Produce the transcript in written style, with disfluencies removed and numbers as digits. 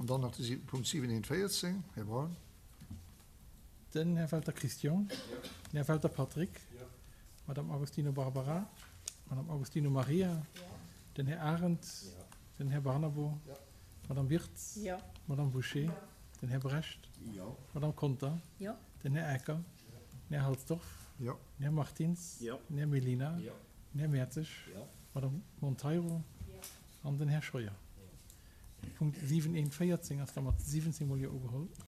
An dann nach de Punkt 7.1.14, Här Braun. Den Här Welter Christian. Den Här Welter Patrick. D'Madame Agostino Barbara. D'Madame Agostino Maria. Den Här Arendt. Den Här Barnabo. D'Madame Wirtz. D'Madame Bouché. Den Här Brecht. D'Madame Conter. Den Här Ecker. Den Här Halsdorf. Den Här Martins. Den Här Mellina. Den Här Mertzig. D'Madame Monteiro an den Här Scheuer. Punkt 7.1.14 ass da mat 17 mol Jo ugeholl.